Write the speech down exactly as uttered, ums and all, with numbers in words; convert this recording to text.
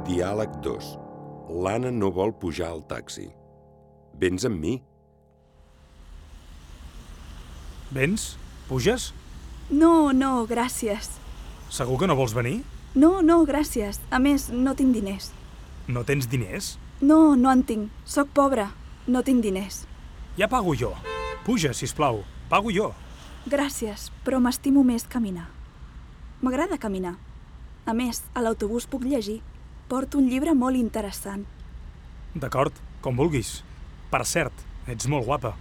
Diàleg dos. L'Anna no vol pujar al taxi. Vens amb mi? Vens? Puges? No, no, gràcies. Segur que no vols venir? No, no, gràcies. A més, no tinc diners. No tens diners? No, no en tinc. Soc pobra. No tinc diners. Ja pago jo. Puja, sisplau. Pago jo. Gràcies, però m'estimo més caminar. M'agrada caminar. A més, a l'autobús puc llegir. Porto un llibre molt interessant. D'acord, com vulguis. Per cert, ets molt guapa.